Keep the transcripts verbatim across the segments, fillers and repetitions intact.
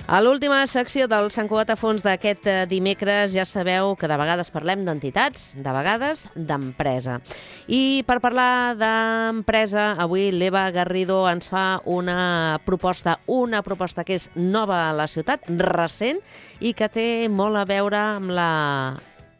A l'última secció del Sant Cugat a fons d'aquest dimecres ja sabeu que de vegades parlem d'entitats, de vegades d'empresa. I per parlar d'empresa, avui l'Eva Garrido ens fa una proposta, una proposta que és nova a la ciutat, recent, i que té molt a veure amb, la...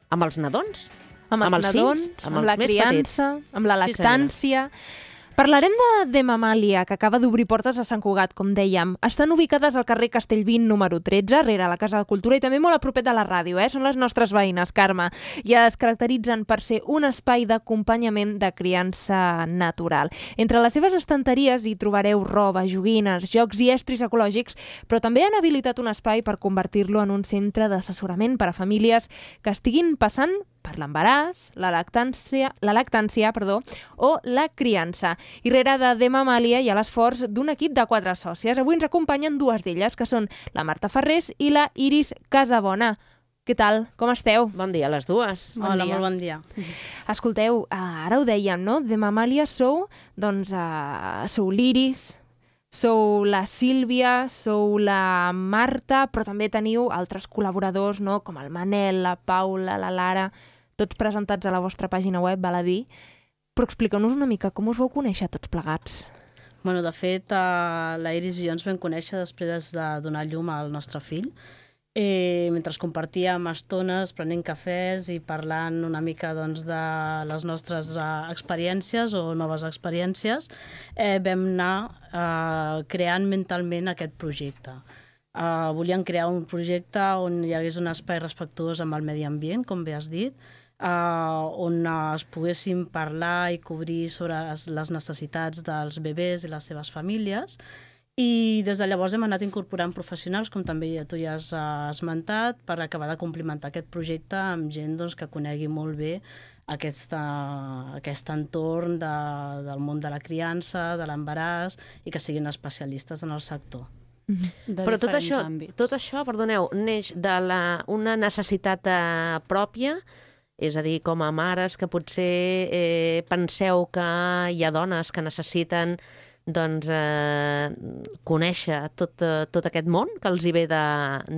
amb els nadons. Amb els, amb els nadons, fills, amb, amb la criança, petits. Amb la lactància... Sí, parlarem de Demamàlia, que acaba d'obrir portes a Sant Cugat, com dèiem. Estan ubicades al carrer Castellvint número tretze, rere la Casa de Cultura, i també molt a propet de la ràdio, eh? Són les nostres veïnes, Carme. I es caracteritzen per ser un espai d'acompanyament de criança natural. Entre les seves estanteries hi trobareu roba, joguines, jocs i estris ecològics, però també han habilitat un espai per convertir-lo en un centre d'assessorament per a famílies que estiguin passant per l'embaràs, la lactància, la lactància perdó, o la criança. I rere de Demamàlia hi ha l'esforç d'un equip de quatre sòcies. Avui ens acompanyen dues d'elles, que són la Marta Ferrés i la Iris Casabona. Què tal? Com esteu? Bon dia a les dues. Bon Hola, dia. Molt bon dia. Escolteu, ara ho dèiem, no? Demamàlia sou, doncs, uh, sou l'Iris, sou la Sílvia, sou la Marta, però també teniu altres col·laboradors, no? Com el Manel, la Paula, la Lara, tots presentats a la vostra pàgina web, val a dir. Però expliqueu-nos una mica com us vau conèixer tots plegats. Bueno, de fet, uh, la Iris i jo ens vam conèixer després de donar llum al nostre fill, eh, mentre compartíem estones prenent cafès i parlant una mica doncs, de les nostres uh, experiències o noves experiències, eh, vam anar uh, creant mentalment aquest projecte. Uh, volíem crear un projecte on hi hagués un espai respectuós amb el medi ambient, com bé has dit, Uh, on uh, es poguessin parlar i cobrir sobre les, les necessitats dels bebès i les seves famílies. I des de llavors hem anat incorporant professionals, com també tu ja has uh, esmentat, per acabar de complementar aquest projecte amb gent doncs, que conegui molt bé aquesta, aquest entorn de, del món de la criança, de l'embaràs, i que siguin especialistes en el sector. Mm-hmm. Però tot això, tot això, perdoneu, neix de la, una necessitat uh, pròpia. És a dir, com a mares que potser eh, penseu que hi ha dones que necessiten doncs, eh, conèixer tot, tot aquest món que els hi ve de,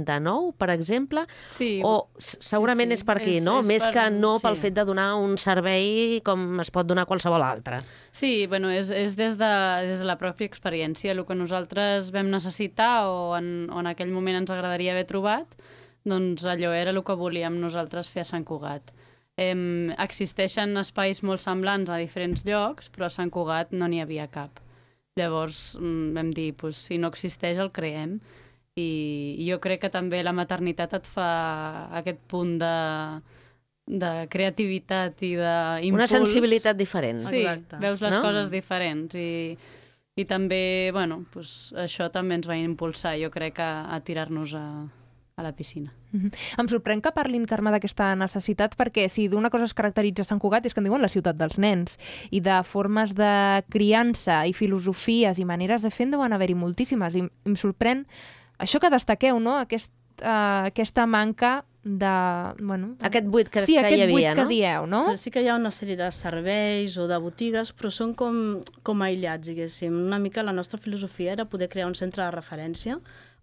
de nou, per exemple? Sí. O segurament sí, sí. És per aquí, és, no? És Més per... que no sí. Pel fet de donar un servei com es pot donar qualsevol altre. Sí, bueno, és, és des, de, des de la pròpia experiència. El que nosaltres vam necessitar o en, o en aquell moment ens agradaria haver trobat, doncs allò era el que volíem nosaltres fer a Sant Cugat. Eh, existeixen espais molt semblants a diferents llocs, però a Sant Cugat no n'hi havia cap. Llavors vam dir, pues, si no existeix el creem. I, i jo crec que també la maternitat et fa aquest punt de, de creativitat i d'impuls. Una sensibilitat diferent. Sí, exacte. Veus les no? coses diferents i, i també, bueno, pues, això també ens va impulsar, jo crec, a, a tirar-nos a... a la piscina. Mm-hmm. Em sorprèn que parlin, Carme, d'aquesta necessitat perquè si d'una cosa es caracteritza Sant Cugat és que en diuen la ciutat dels nens i de formes de criança i filosofies i maneres de fer en deuen haver-hi moltíssimes i em sorprèn això que destaqueu, no? Aquest, uh, aquesta manca de... Bueno, aquest buit que, sí, que aquest hi havia, buit no? que dieu, no? Sí, sí que hi ha una sèrie de serveis o de botigues, però són com, com aïllats, diguéssim. Una mica la nostra filosofia era poder crear un centre de referència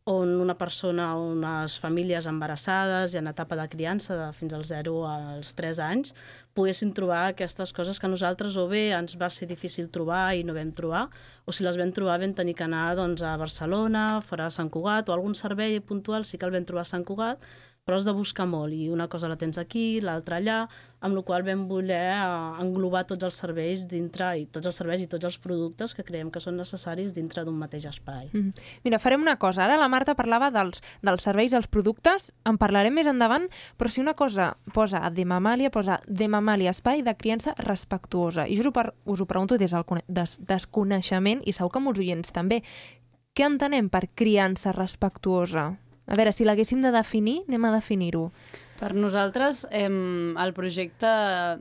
on una persona, unes famílies embarassades i en etapa de criança de fins als zero als tres anys poguessin trobar aquestes coses que a nosaltres o bé ens va ser difícil trobar i no vam trobar, o si les vam trobar vam tenir que anar doncs, a Barcelona, fora de Sant Cugat, o algun servei puntual sí que el vam trobar a Sant Cugat, però has de buscar molt, i una cosa la tens aquí, l'altra allà, amb la qual vam voler englobar tots els serveis dintre, i tots els serveis i tots els productes que creiem que són necessaris dintre d'un mateix espai. Mm. Mira, farem una cosa. Ara la Marta parlava dels, dels serveis, dels productes, en parlarem més endavant, però si una cosa posa a Demamàlia, posa Demamàlia, espai de criança respectuosa. I jo us ho, per, us ho pregunto des del des, desconeixement, i segur que molts oients també. Què entenem per criança respectuosa? A veure, si l'haguéssim de definir, anem a definir-ho. Per nosaltres, eh, el projecte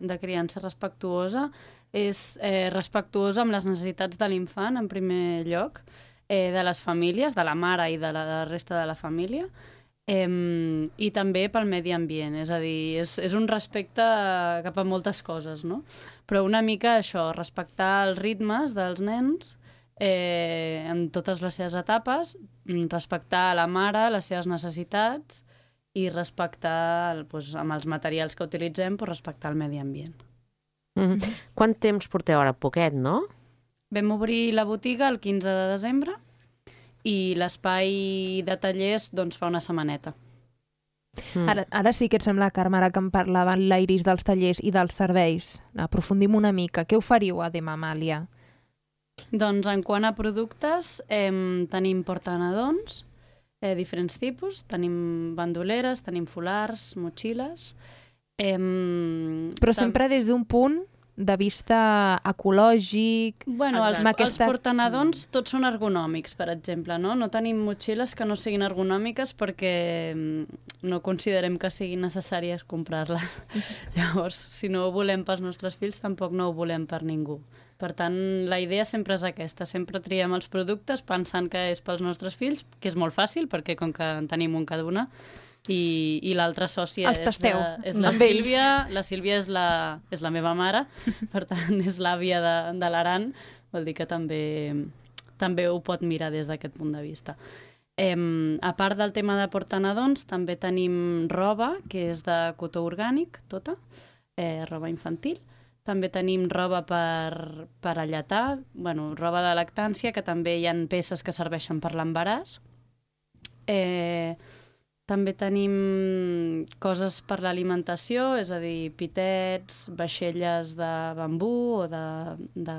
de criança respectuosa és eh, respectuosa amb les necessitats de l'infant, en primer lloc, eh, de les famílies, de la mare i de la, de la resta de la família, eh, i també pel medi ambient. És a dir, és, és un respecte cap a moltes coses, no? Però una mica això, respectar els ritmes dels nens, eh, en totes les seves etapes, respectar la mare, les seves necessitats i respectar, doncs, amb els materials que utilitzem, doncs, respectar el medi ambient. Mm-hmm. Quant temps porteu ara? Poquet, no? Vam obrir la botiga el quinze de desembre i l'espai de tallers doncs, fa una setmaneta. Mm. Ara, ara sí que et sembla, Carme, ara que em parlava l'Iris dels tallers i dels serveis. Aprofundim una mica. Què oferiu a De Mamàlia? Doncs en quant a productes, eh, tenim portanadons, eh, diferents tipus. Tenim bandoleres, tenim folars, motxilles. Eh, Però sempre des d'un punt de vista ecològic... Bueno, els, aquesta... els portanadons tots són ergonòmics, per exemple, no? No tenim motxilles que no siguin ergonòmiques perquè no considerem que siguin necessàries comprar-les. Llavors, si no ho volem pels nostres fills, tampoc no ho volem per ningú. Per tant, la idea sempre és aquesta. Sempre triem els productes pensant que és pels nostres fills, que és molt fàcil, perquè com que en tenim un cada una, i, i l'altra sòcia és la, és la Sílvia. La Sílvia és la, és la meva mare, per tant, és l'àvia de, de l'Aran, vol dir que també, també ho pot mirar des d'aquest punt de vista. Eh, a part del tema de portanadons, també tenim roba, que és de cotó orgànic, tota, eh, roba infantil. També tenim roba per, per alletar, bueno, roba de lactància, que també hi ha peces que serveixen per l'embaràs. Eh... També tenim coses per l'alimentació, és a dir, pitets, vaixelles de bambú o de... de...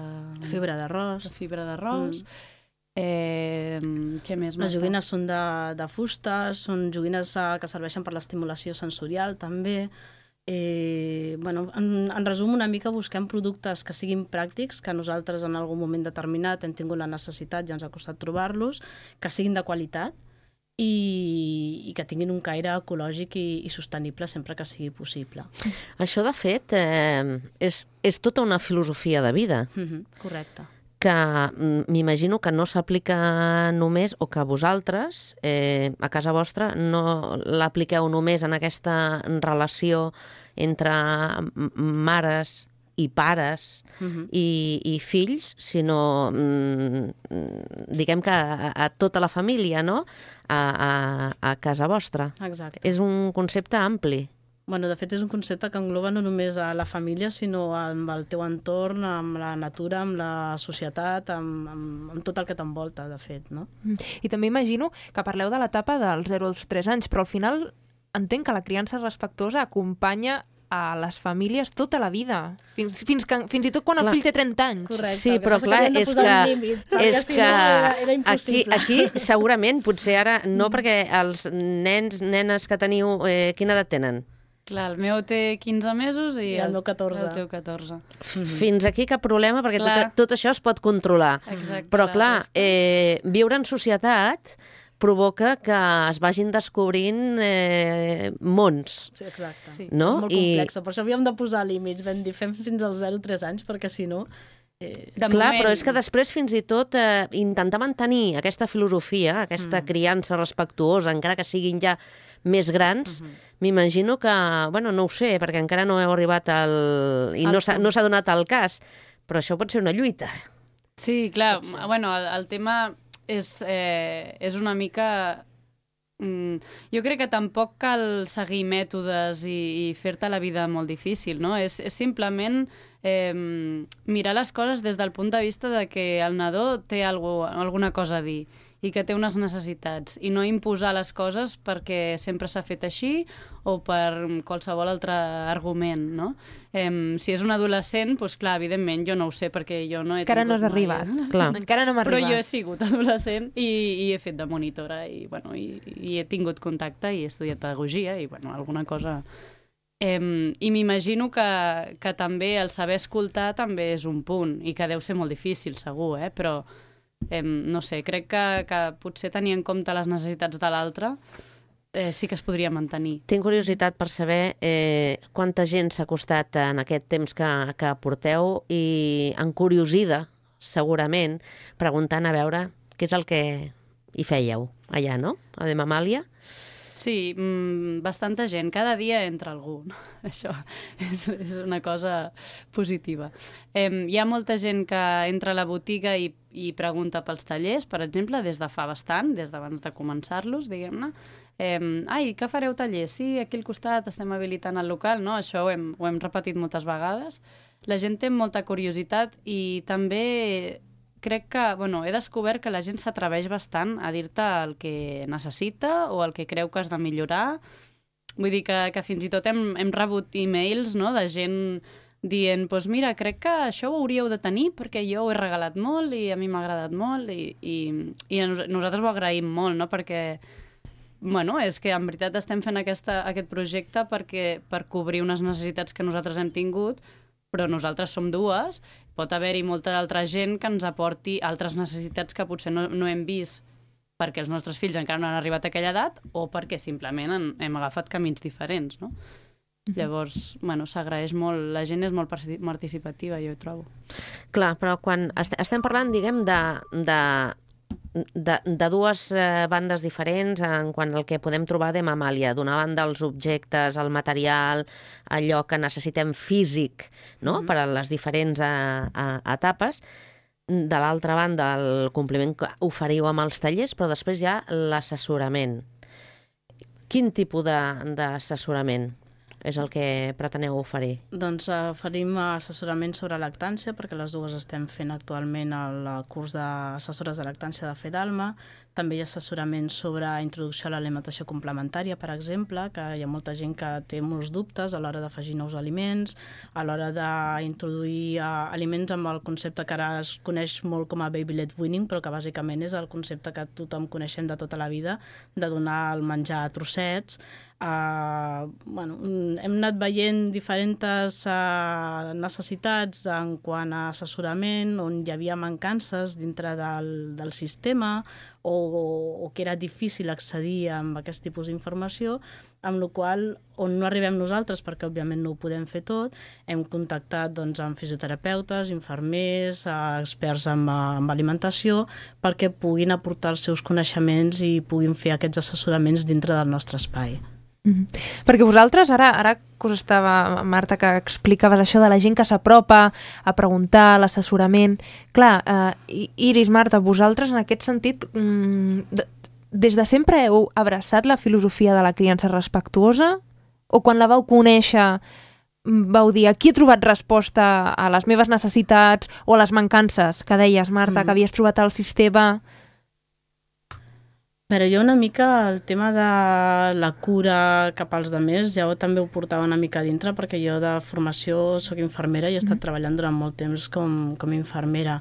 Fibra d'arròs. De fibra d'arròs. Mm. Eh, què més? Les joguines són de, de fusta, són joguines que serveixen per l'estimulació sensorial, també. Eh, bueno, en, en resum, una mica busquem productes que siguin pràctics, que nosaltres en algun moment determinat hem tingut la necessitat i ens ha costat trobar-los, que siguin de qualitat, I, i que tinguin un caire ecològic i, i sostenible sempre que sigui possible. Això, de fet, eh, és, és tota una filosofia de vida. Mm-hmm, correcte. Que m'imagino que no s'aplica només, o que vosaltres, eh, a casa vostra, no l'apliqueu només en aquesta relació entre mares i pares uh-huh. i, i fills, sinó mm, diguem que a, a tota la família, no? A, a, a casa vostra. Exacte. És un concepte ampli. Bueno, de fet, és un concepte que engloba no només a la família, sinó amb el teu entorn, amb la natura, amb la societat, amb, amb, amb tot el que t'envolta, de fet, no? I també imagino que parleu de l'etapa dels zero als tres anys, però al final entenc que la criança respectuosa acompanya a les famílies tota la vida, fins, fins, que, fins i tot quan clar. El fill té trenta anys. Correcte, sí, però clar, que és que, límit, és si que no era, era aquí, aquí segurament, potser ara, no perquè els nens, nenes que teniu, eh, quina edat tenen? Clar, el meu té quinze mesos i, I el meu catorze. El teu catorze. Fins aquí cap problema, perquè tot, tot això es pot controlar. Exacte, però clar, eh, viure en societat provoca que es vagin descobrint eh, mons. Sí, exacte. Sí. No? És molt complexa. I... Per això havíem de posar límits. Vam dir, fem fins als zero a tres anys, perquè si no... Eh... Clar, moment... però és que després fins i tot eh, intentar mantenir aquesta filosofia, aquesta mm. criança respectuosa, encara que siguin ja més grans, mm-hmm. m'imagino que, bueno, no ho sé, perquè encara no heu arribat al... i no s'ha no s'ha donat el cas, però això pot ser una lluita. Sí, clar. Bueno, el, el tema... És, eh, és una mica... Mm, jo crec que tampoc cal seguir mètodes i, i fer-te la vida molt difícil, no? És, és simplement eh, mirar les coses des del punt de vista de que el nadó té algo, alguna cosa a dir i que té unes necessitats, i no imposar les coses perquè sempre s'ha fet així o per qualsevol altre argument, no? Eh, si és un adolescent, doncs clar, evidentment, jo no ho sé, perquè jo no he encara tingut no has arribat. Clar. Encara no hem Però arribat. jo he sigut adolescent i, i he fet de monitora i, bueno, i, i he tingut contacte i he estudiat pedagogia i, bueno, alguna cosa... Eh, I m'imagino que, que també el saber escoltar també és un punt i que deu ser molt difícil, segur, eh? Però eh, no sé, crec que, que potser tenir en compte les necessitats de l'altre eh, sí que es podria mantenir. Tinc curiositat per saber eh, quanta gent s'ha acostat en aquest temps que, que porteu i encuriosida, segurament, preguntant a veure què és el que hi fèieu allà, no? A De Mamàlia. Sí, mmm, bastanta gent. Cada dia entra algú. Això és, és una cosa positiva. Eh, hi ha molta gent que entra a la botiga i, i pregunta pels tallers, per exemple, des de fa bastant, des d'abans de començar-los, diguem-ne. Eh, ai, que fareu tallers? Sí, aquí al costat estem habilitant el local, no? Això ho hem, ho hem repetit moltes vegades. La gent té molta curiositat i també crec que, bueno, he descobert que la gent s'atreveix bastant a dir-te el que necessita o el que creu que has de millorar. Vull dir que, que fins i tot hem, hem rebut e-mails, no?, de gent dient, doncs mira, crec que això ho hauríeu de tenir perquè jo ho he regalat molt i a mi m'ha agradat molt i, i, i nosaltres ho agraïm molt, no?, perquè bueno, és que en veritat estem fent aquesta, aquest projecte perquè, per cobrir unes necessitats que nosaltres hem tingut, però nosaltres som dues, pot haver-hi molta altra gent que ens aporti altres necessitats que potser no, no hem vist perquè els nostres fills encara no han arribat a aquella edat o perquè simplement en, hem agafat camins diferents, no? Mm-hmm. Llavors, bueno, s'agraeix molt, la gent és molt participativa, jo ho trobo. Clar, però quan estem parlant, diguem, de... de... De, de dues eh, bandes diferents en quant al que podem trobar de Mamàlia. D'una banda, els objectes, el material, allò que necessitem físic, no?, mm-hmm. per a les diferents a, a, etapes. De l'altra banda, el compliment que oferiu amb els tallers, però després hi ha l'assessorament. Quin tipus d'assessorament és el que preteneu oferir? Doncs oferim assessorament sobre lactància, perquè les dues estem fent actualment el curs d'assessores de lactància de Fedalma. També hi ha assessorament sobre introducció a l'alimentació complementària, per exemple, que hi ha molta gent que té molts dubtes a l'hora d'afegir nous aliments, a l'hora d'introduir uh, aliments amb el concepte que ara es coneix molt com a baby-led weaning, però que bàsicament és el concepte que tothom coneixem de tota la vida, de donar el menjar a trossets. Uh, bueno, hem anat veient diferents uh, necessitats en quant a assessorament, on hi havia mancances dintre del, del sistema o, o que era difícil accedir a aquest tipus d'informació, amb la qual on no arribem nosaltres, perquè òbviament no ho podem fer tot, hem contactat doncs, amb fisioterapeutes, infermers, experts en, en alimentació, perquè puguin aportar els seus coneixements i puguin fer aquests assessoraments dintre del nostre espai. Mm-hmm. Perquè vosaltres, ara, ara que us estava, Marta, que explicaves això de la gent que s'apropa a preguntar, l'assessorament, clar, eh, Iris, Marta, vosaltres en aquest sentit, mm, de, des de sempre heu abraçat la filosofia de la criança respectuosa? O quan la vau conèixer vau dir, aquí he trobat resposta a les meves necessitats o a les mancances que deies, Marta, mm. que havies trobat al sistema? Però jo una mica el tema de la cura cap als altres ja també ho portava una mica dintre, perquè jo de formació soc infermera i he estat mm. treballant durant molt temps com, com infermera.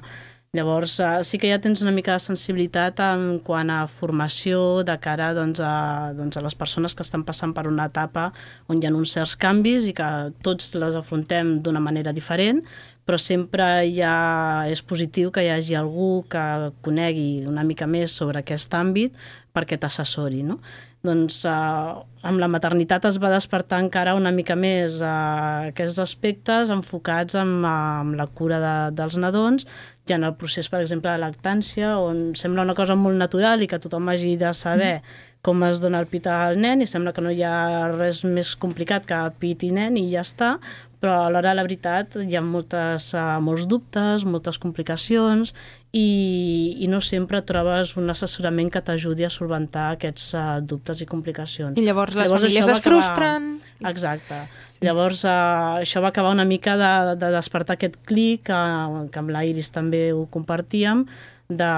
Llavors sí que ja tens una mica de sensibilitat en quant a formació de cara doncs, a, doncs, a les persones que estan passant per una etapa on hi ha uns certs canvis i que tots les afrontem d'una manera diferent, però sempre ja és positiu que hi hagi algú que conegui una mica més sobre aquest àmbit perquè t'assessori, no? Doncs eh, amb la maternitat es va despertar encara una mica més eh, aquests aspectes enfocats en, en la cura de, dels nadons, ja en el procés, per exemple, de lactància, on sembla una cosa molt natural i que tothom hagi de saber com es dona el pit al nen i sembla que no hi ha res més complicat que pit i nen i ja està, però alhora, la veritat, hi ha moltes, uh, molts dubtes, moltes complicacions i, i no sempre trobes un assessorament que t'ajudi a solventar aquests uh, dubtes i complicacions. I llavors les llavors, famílies es acabar... frustren. Exacte. Sí. Llavors uh, això va acabar una mica de, de despertar aquest clic, uh, que amb la Iris també ho compartíem, de,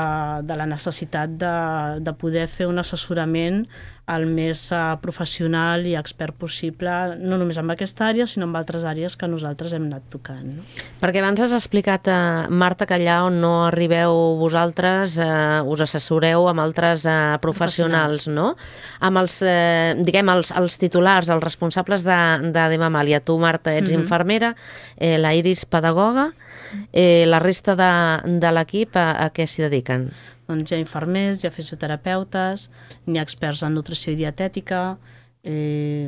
de la necessitat de, de poder fer un assessorament el més uh, professional i expert possible, no només en aquesta àrea, sinó en altres àrees que nosaltres hem anat tocant. No? Perquè abans has explicat, uh, Marta, que allà on no arribeu vosaltres uh, us assessoreu amb altres uh, professionals, professionals, no? Amb els, uh, diguem, els, els titulars, els responsables de, de, de Mamàlia. Tu, Marta, ets mm-hmm. infermera, eh, la Iris, pedagoga, eh, la resta de, de l'equip a, a què s'hi dediquen? Doncs hi ha infermers, hi ha fisioterapeutes, n'hi ha experts en nutrició i dietètica, eh,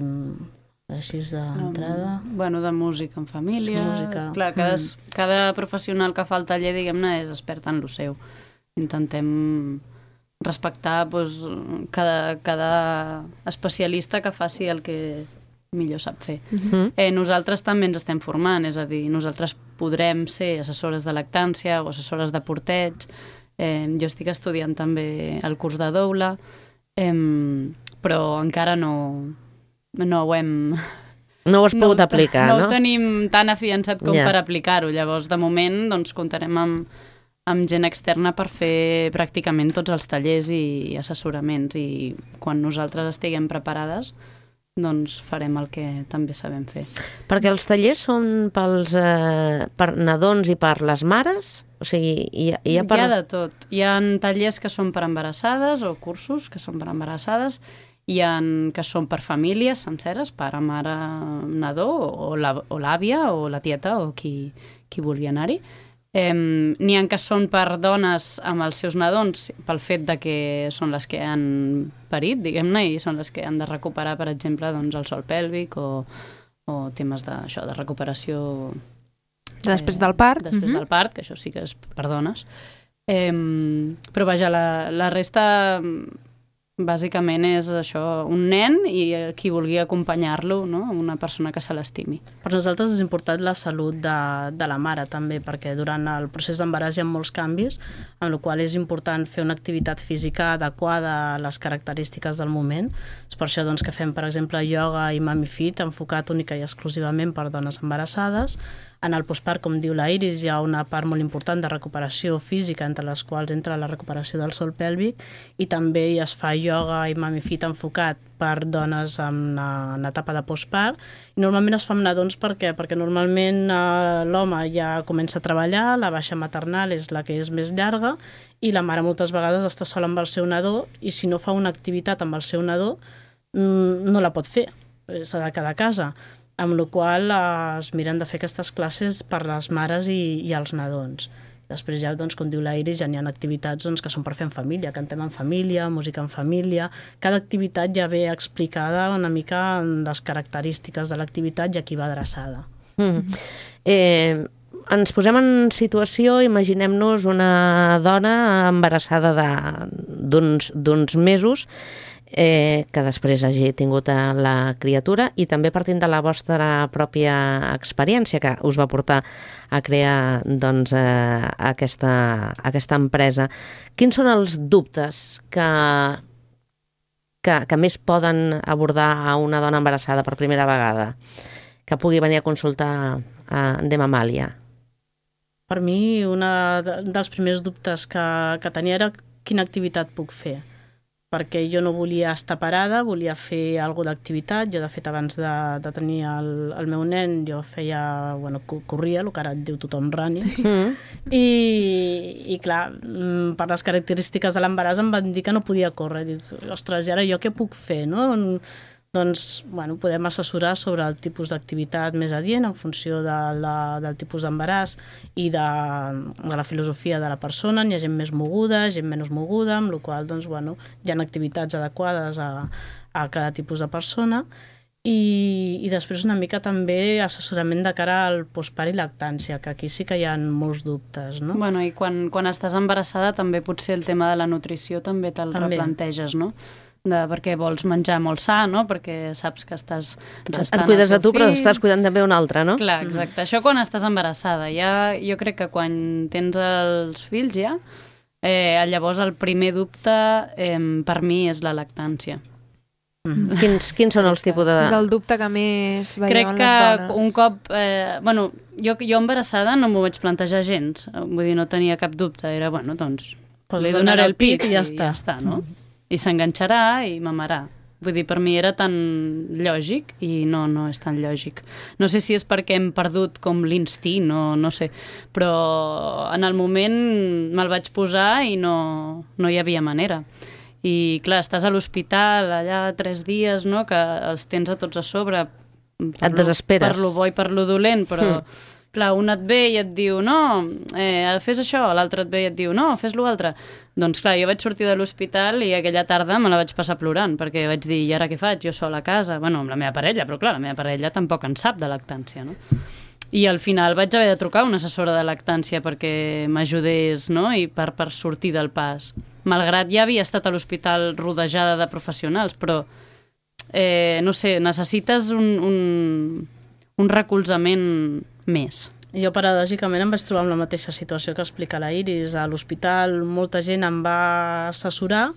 així d'entrada... Um, bueno, de música en família... Música. Clar, cada, mm. cada professional que fa el taller, diguem-ne, és expert en lo seu. Intentem respectar doncs, cada, cada especialista que faci el que millor sap fer. Uh-huh. eh, nosaltres també ens estem formant, és a dir, nosaltres podrem ser assessores de lactància o assessores de porteig. Eh, jo estic estudiant també el curs de doula, eh, però encara no, no ho hem... No ho has pogut no, aplicar, no? No ho tenim tan afiançat com yeah. per aplicar-ho. Llavors, de moment, doncs, comptarem amb, amb gent externa per fer pràcticament tots els tallers i assessoraments. I quan nosaltres estiguem preparades, doncs farem el que també sabem fer. Perquè els tallers són pels, eh, per nadons i per les mares? O sigui, hi ha, hi ha, per... hi ha de tot. Hi ha tallers que són per embarassades o cursos que són per embarassades, hi ha que són per famílies senceres, pare, mare, nadó, o l'àvia o la tieta o qui, qui vulgui anar-hi. Eh, n'hi ha que són per dones amb els seus nadons pel fet de que són les que han parit, diguem-ne, i són les que han de recuperar, per exemple, doncs, el sòl pèlvic o, o temes de, això, de recuperació eh, després del part. Després uh-huh. del part, que això sí que és per dones. Eh, però vaja, la, la resta bàsicament és això, un nen i qui vulgui acompanyar-lo, no? Una persona que se l'estimi. Per nosaltres és important la salut de, de la mare també, perquè durant el procés d'embaràs hi ha molts canvis, amb la qual és important fer una activitat física adequada a les característiques del moment. És per això doncs, que fem, per exemple, ioga i Mami Fit, enfocat única i exclusivament per dones embarassades. En el postpart, com diu la Iris, hi ha una part molt important de recuperació física, entre les quals entra la recuperació del sòl pèlvic, i també es fa ioga i Mami Fit enfocat per dones en, en etapa de postpart. I normalment es fa amb nadons perquè, perquè normalment eh, l'home ja comença a treballar, la baixa maternal és la que és més llarga, i la mare moltes vegades està sola amb el seu nadó, i si no fa una activitat amb el seu nadó, no la pot fer, s'ha de quedar a casa. Amb la qual cosa es miren de fer aquestes classes per les mares i, i els nadons. Després ja, doncs, com diu la Iris, ja n'hi ha activitats doncs, que són per fer en família, cantem en família, música en família. Cada activitat ja ve explicada una mica en les característiques de l'activitat i a qui va adreçada. Mm. Eh, ens posem en situació, imaginem-nos una dona embarassada d'uns mesos, Eh, que després hagi tingut la criatura, i també partint de la vostra pròpia experiència que us va portar a crear doncs, eh, aquesta, aquesta empresa. Quins són els dubtes que, que, que més poden abordar a una dona embarassada per primera vegada que pugui venir a consultar a Demamàlia? Per mi, un dels primers dubtes que, que tenia era quina activitat puc fer, perquè jo no volia estar parada, volia fer alguna d'activitat. Jo, de fet, abans de, de tenir el, el meu nen, jo feia, bueno, corria, el que ara et diu tothom running, mm. I, i clar, per les característiques de l'embaràs em van dir que no podia córrer. Dic, ostres, i ara jo què puc fer, no? Doncs, bueno, podem assessorar sobre el tipus d'activitat més adient en funció de la, del tipus d'embaràs i de, de la filosofia de la persona. N'hi ha gent més moguda, gent menys moguda, amb la qual cosa, doncs, bueno, hi ha activitats adequades a, a cada tipus de persona. I, i després una mica també assessorament de cara al postpart i lactància, que aquí sí que hi ha molts dubtes, no? Bueno, i quan, quan estàs embarassada també potser el tema de la nutrició també te'l replanteges, no? De, perquè vols menjar molt sa, no? Perquè saps que estàs gestant et cuides a tu, però estàs cuidant també un altre, no? Clar, exacte. Mm. Això quan estàs embarassada. Ja, jo crec que quan tens els fills ja, eh, llavors el primer dubte eh, per mi és la lactància. Mm. Quins, quins són els tipus de... És el dubte que més veieu crec en les dones. Crec que un cop... Eh, bueno, jo, jo embarassada no m'ho vaig plantejar gens. Vull dir, no tenia cap dubte. Era, bueno, doncs, pues li donaré el pit i ja està. I ja està, no? Mm. I s'enganxarà i mamarà. Vull dir, per mi era tan lògic i no, no és tan lògic. No sé si és perquè hem perdut com l'instint, no, no sé, però en el moment me'l vaig posar i no, no hi havia manera. I clar, estàs a l'hospital allà tres dies, no?, que els tens a tots a sobre. Et desesperes. Per lo bo i per lo dolent, però... Mm. Clar, un et ve i et diu, no, eh, fes això, l'altre et ve i et diu, no, fes l'altre. Doncs clar, jo vaig sortir de l'hospital i aquella tarda me la vaig passar plorant, perquè vaig dir, i ara què faig? Jo sola a casa, bueno, amb la meva parella, però clar, la meva parella tampoc en sap de lactància, no? I al final vaig haver de trucar a una assessora de lactància perquè m'ajudés, no?, i per, per sortir del pas. malgrat ja havia estat a l'hospital rodejada de professionals, però, eh, no sé, necessites un, un, un recolzament més. Jo, paradògicament, em vaig trobar amb la mateixa situació que explica la Iris. A l'hospital molta gent em va assessorar,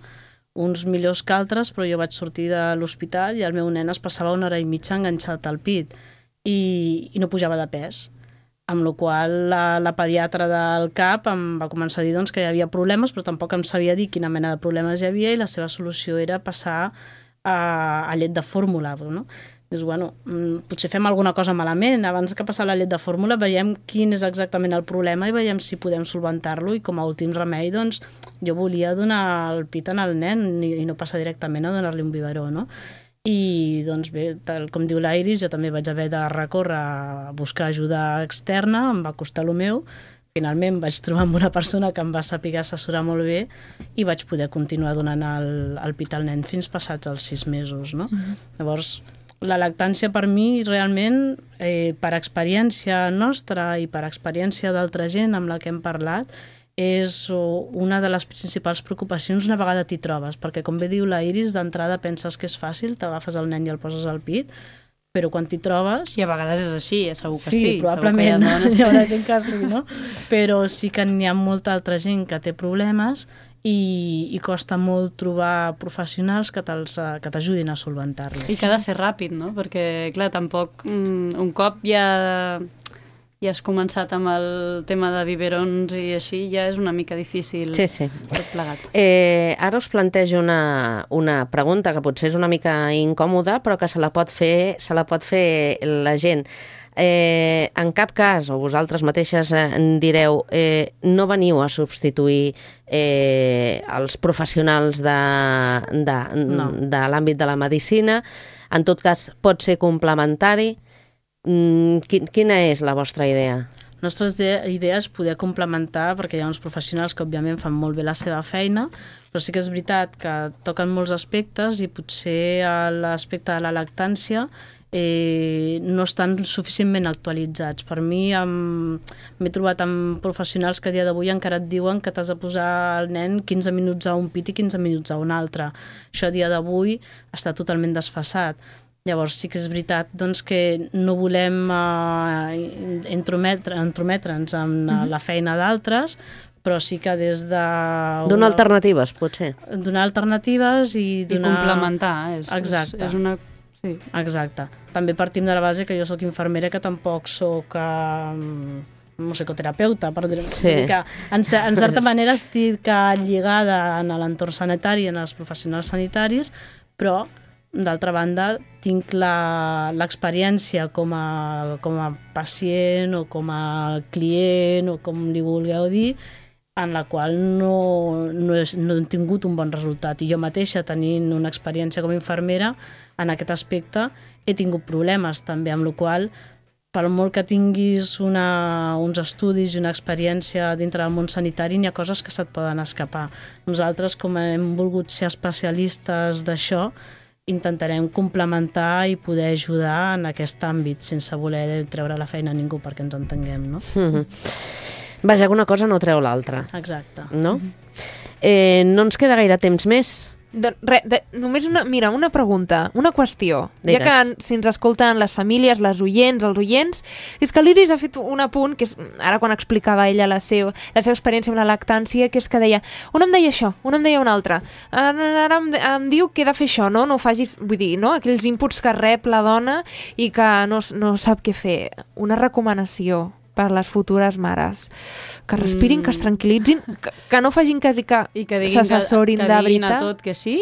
uns millors que altres, però jo vaig sortir de l'hospital i el meu nen es passava una hora i mitja enganxat al pit i, i no pujava de pes. Amb la qual la, la pediatra del C A P em va començar a dir doncs, que hi havia problemes, però tampoc em sabia dir quina mena de problemes hi havia i la seva solució era passar a, a llet de fórmula, no? Dius, bueno, potser fem alguna cosa malament, abans que passar la llet de fórmula veiem quin és exactament el problema i veiem si podem solventar-lo i com a últim remei, doncs, jo volia donar el pit al nen i, i no passar directament a donar-li un biberó, no? I, doncs bé, tal com diu l'Iris, jo també vaig haver de recórrer a buscar ajuda externa, em va costar el meu, finalment vaig trobar amb una persona que em va saber assessorar molt bé i vaig poder continuar donant el, el pit al nen fins passats els sis mesos, no? Mm-hmm. Llavors, la lactància per mi realment, eh, per experiència nostra i per experiència d'altra gent amb la que hem parlat, és una de les principals preocupacions una vegada t'hi trobes, perquè com bé diu la Iris, d'entrada penses que és fàcil, t'agafes el nen i el poses al pit, però quan t'hi trobes... I a vegades és així, segur que sí. Sí, probablement hi ha, hi haurà gent que sí, no? Però sí que n'hi ha molta altra gent que té problemes i, i costa molt trobar professionals que t'ajudin a solventar-los. I que ha de ser ràpid, no? Perquè, clar, tampoc mm, un cop ja, ja has començat amb el tema de biberons i així, ja és una mica difícil sí, sí. tot plegat. Eh, ara us plantejo una, una pregunta que potser és una mica incòmoda, però que se la pot fer, se la pot fer la gent. Eh, en cap cas, o vosaltres mateixes eh, en direu, eh, no veniu a substituir eh, els professionals de, de, no. de l'àmbit de la medicina, en tot cas pot ser complementari. Mm, quina és la vostra idea? La nostra idea és poder complementar, perquè hi ha uns professionals que òbviament fan molt bé la seva feina, però sí que és veritat que toquen molts aspectes i potser l'aspecte de la lactància Eh, no estan suficientment actualitzats. Per mi m'he trobat amb professionals que a dia d'avui encara et diuen que t'has de posar el nen quinze minuts a un pit i quinze minuts a un altre. Això a dia d'avui està totalment desfasat. Llavors sí que és veritat doncs, que no volem eh, entrometre, entrometre'ns en mm-hmm. la feina d'altres, però sí que des de... Donar alternatives, potser. Donar alternatives i donar... I complementar. És, Exacte. És, és una... Sí. Exacte. També partim de la base que jo sóc infermera, que tampoc sóc um, musicoterapeuta, per dir-ho. Sí. Que en, en certa manera estic lligada en l'entorn sanitari, en els professionals sanitaris, però d'altra banda tinc l'experiència com, a, com a pacient o com a client o com li vulgueu dir, en la qual no, no, he, no he tingut un bon resultat. I jo mateixa, tenint una experiència com a infermera, en aquest aspecte he tingut problemes també, amb la qual per molt que tinguis una, uns estudis i una experiència dintre del món sanitari, n'hi ha coses que se't poden escapar. Nosaltres, com hem volgut ser especialistes d'això, intentarem complementar i poder ajudar en aquest àmbit, sense voler treure la feina a ningú, perquè ens entenguem, no? Mm-hmm. Vaja, que una cosa no treu l'altra. Exacte. No? Eh, no ens queda gaire temps més. De, re, de, només una, mira, una pregunta, una qüestió. Digues. Ja que si ens escolten les famílies, les oients, els oients, és que l'Iris ha fet un apunt, que és, ara quan explicava ella la seva, la seva experiència amb la lactància, que és que deia, un em deia això, un em deia un altre, ara, ara em, em diu que he de fer això, no? No ho facis, vull dir, no? Aquells inputs que rep la dona i que no, no sap què fer. Una recomanació per les futures mares. Que respirin, mm. que es tranquil·litzin, que, que no facin cas i que, I que s'assessorin de veritat. Que diguin a tot que sí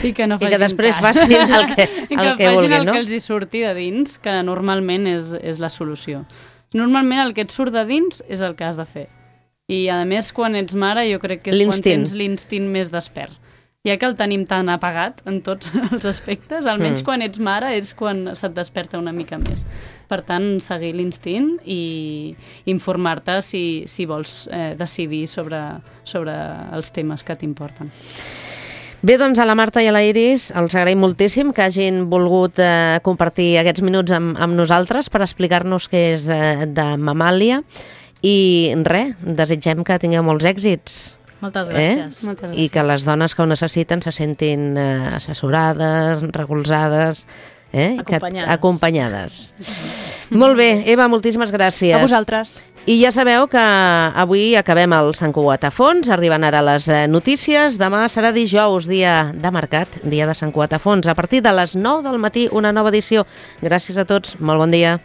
i que no facin I que després cas. facin el que, el I que, que vulguin, el no? que els hi surti de dins, que normalment és, és la solució. Normalment el que et surt de dins és el que has de fer. I a més, quan ets mare, jo crec que és quan tens l'instint més despert. Ja que el tenim tan apagat en tots els aspectes, almenys mm. quan ets mare és quan se't desperta una mica més. Per tant, seguir l'instint i informar-te si, si vols eh, decidir sobre, sobre els temes que t'importen. Bé, doncs a la Marta i a la Iris els agraïm moltíssim que hagin volgut eh, compartir aquests minuts amb, amb nosaltres per explicar-nos què és eh, de Mamàlia i res, desitgem que tingueu molts èxits. Moltes gràcies. Eh? Moltes gràcies. I que les dones que ho necessiten se sentin eh, assessorades, recolzades, eh? Acompanyades. Que, acompanyades. Molt bé, Eva, moltíssimes gràcies. A vosaltres. I ja sabeu que avui acabem el Sant Cugat a fons, arriben ara les notícies, demà serà dijous, dia de mercat, dia de Sant Cugat a fons, a partir de les nou del matí, una nova edició. Gràcies a tots, molt bon dia.